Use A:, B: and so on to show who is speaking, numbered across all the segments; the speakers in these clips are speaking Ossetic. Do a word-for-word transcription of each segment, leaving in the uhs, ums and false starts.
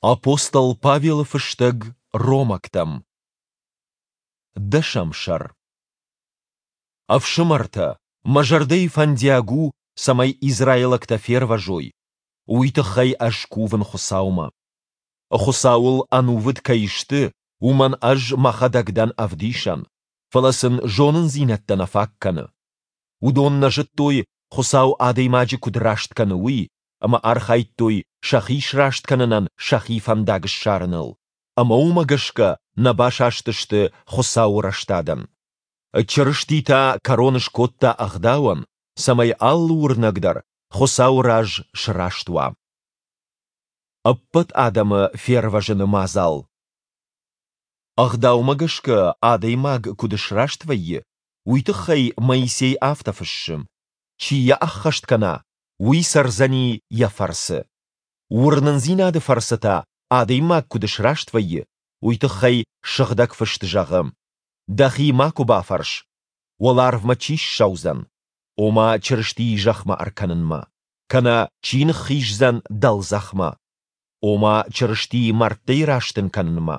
A: Апостол Павелы фыстӕг Ромӕгтӕм. Дӕсӕм сӕр. Ӕфсымӕртӕ, мӕ зӕрдӕйы фӕндиаг у, цӕмӕй израилӕгтӕ фервӕзой. Уый тыххӕй ӕз кувын Хуыцаумӕ. Хуыцауыл ӕнувыд кӕй сты, уымӕн ӕз мӕхӕдӕг дӕн ӕвдисӕн, фӕлӕ сын зонындзинӕдтӕ нӕ фаг кӕны. Уыдон нӕ зыдтой, Хуыцау адӕймаджы куыд раст кӕны, уый, ӕмӕ архайдтой сӕхи сраст кӕнынӕн сӕхи фӕндаг ссарыныл, ӕмӕ уымӕ гӕсгӕ нӕ басастысты Хуыцауы рӕстадӕн. Чырысти та кӕрон скодта Ӕгъдауӕн, цӕмӕй алы уырнӕг дӕр Хуыцауы раз сраст уа. Ӕппӕт адӕмы фервӕзыны мадзал. Ӕгъдаумӕ гӕсгӕ адӕймаг куыд сраст вӕййы, уый тыххӕй Моисей афтӕ фыссы: Чи йӕ ӕххӕст кӕна, уый цӕрдзӕни йӕ фӕрцы. Уырнындзинады фӕрцы та адӕймаг куыд сраст вӕййы, уый тыххӕй Сыгъдӕг Фыст зӕгъы: Дӕхи макуы бафӕрс, уӕларвмӕ чи ссӕудзӕн, ома Чырыстийы зӕхмӕ ӕркӕнынмӕ, кӕнӕ чи ныххиздзӕн дӕлдзӕхмӕ, ома Чырыстийы мӕрдтӕй растын кӕнынмӕ.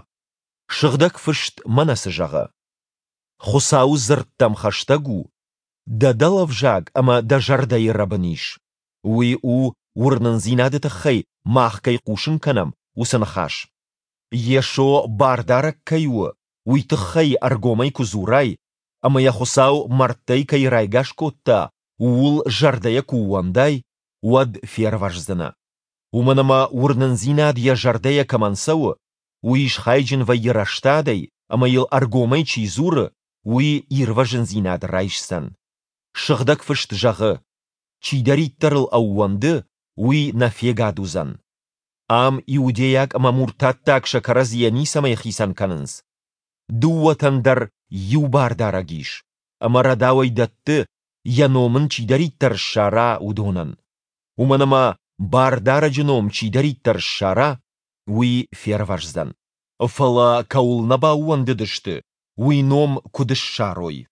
A: Сыгъдӕг Фыст мӕнӕ цы зӕгъы: Хуыцауы дзырд дӕм хӕстӕг у, дӕ дӕлӕвзаг ӕмӕ дӕ зӕрдӕйы рӕбын ис. Уый у, уырнындзинады тыххӕй мах кӕй хъусын кӕнӕм, уыцы ныхас. Йесо Бардарӕг кӕй у, уый тыххӕй ӕргомӕй куы дзурай, ӕмӕ йӕ Хуыцау мӕрдтӕй кӕй райгас кодта, ууыл зӕрдӕйӕ куы ууӕндай, уӕд фервӕздзынӕ. Уымӕн ӕмӕ уырнындзинад йӕ зӕрдӕйӕ кӕмӕн цӕуы, уый схайджын вӕййы рӕстадӕй, ӕмӕ йыл ӕргомӕй чи дзуры, уый ирвӕзындзинад райсдзӕн. Сыгъдӕг Фыст зӕгъы: Чидӕриддӕр ыл ӕууӕнды, уый нӕ фегад уыдзӕн. Ам иудейаг ӕмӕ муртаттаг сӕ кӕрӕдзийӕ ницӕмӕй хицӕн кӕнынц. Дыууӕтӕн дӕр иу бардарӕг ис, ӕмӕ рӕдауӕй дӕтты, йӕ ном ын чидӕриддӕр ссара, уыдонӕн. Уымӕн ӕмӕ Бардарӕджы ном чидӕриддӕр ссара, уый фервӕздзӕн. Фӕлӕ кӕуыл нӕ баууӕндыдысты, уый ном куыд ссарой?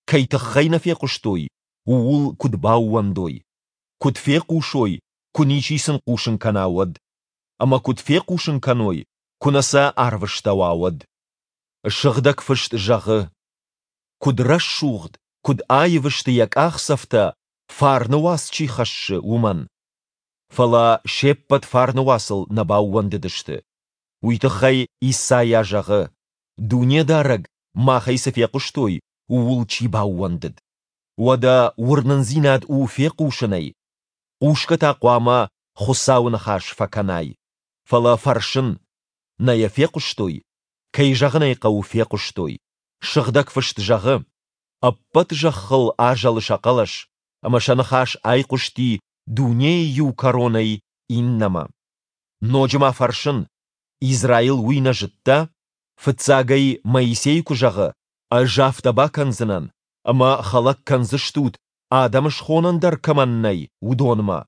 A: Кӕй тыххӕй нӕ фехъуыстой, ууыл куыд баууӕндой? Куыд фехъусой, куы ничи сын хъусын кӕна, уӕд? Ӕмӕ куыд фехъусын кӕной, куы нӕ сӕ арвыстӕуа, уӕд? Сыгъдӕг Фыст зӕгъы: Куыд рӕсугъд, куыд аив сты йӕ къахдзӕфтӕ, фарны уац чи хӕссы, уымӕн! Фӕлӕ се ппӕт фарны уацыл нӕ баууӕндыдысты. Уый тыххӕй Исайа зӕгъы: Дунедарӕг, махӕй цы фехъуыстой, ууыл чи баууӕндыд? Уӕдӕ уырнындзинад у фехъусынӕй, хъусгӕ та хъуамӕ Хуыцауы ныхас фӕкӕнай. Фӕлӕ фӕрсын, нӕ йӕ фехъуыстой? Кӕй зӕгъын ӕй хъӕуы, фехъуыстой. Сыгъдӕг Фыст зӕгъы: Ӕппӕт зӕххыл азӕлы сӕ хъӕлӕс, ӕмӕ сӕ ныхас айхъуысти дунейы иу кӕронӕй иннӕмӕ. Ноджы ма фӕрсын, Израил уый нӕ зыдта? Фыццаг ӕй Моисей куы зӕгъы: Ӕз афтӕ бакӕндзынӕн, ӕмӕ хӕлӕг кӕндзыстут, адӕм схонӕн дӕр кӕмӕн нӕй, уыдонмӕ,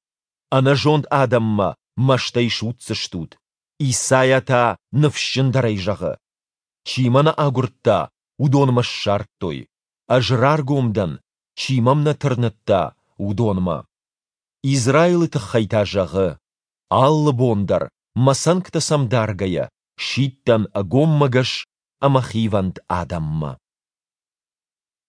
A: ӕнӕзонд адӕммӕ мӕстӕй судздзыстут. Исайа та ныфсджындӕрӕй зӕгъы: Чи мӕ нӕ агуырдта, уыдон мӕ ссардтой. Ӕз раргом дӕн, чи мӕм нӕ тырныдта, уыдонмӕ. Израилы тыххӕй та зӕгъы: Алы бон дӕр, мӕ цӕнгтӕ сӕм даргӕйӕ, сидтӕн ӕгоммӕгӕс ӕмӕ хивӕнд адӕммӕ.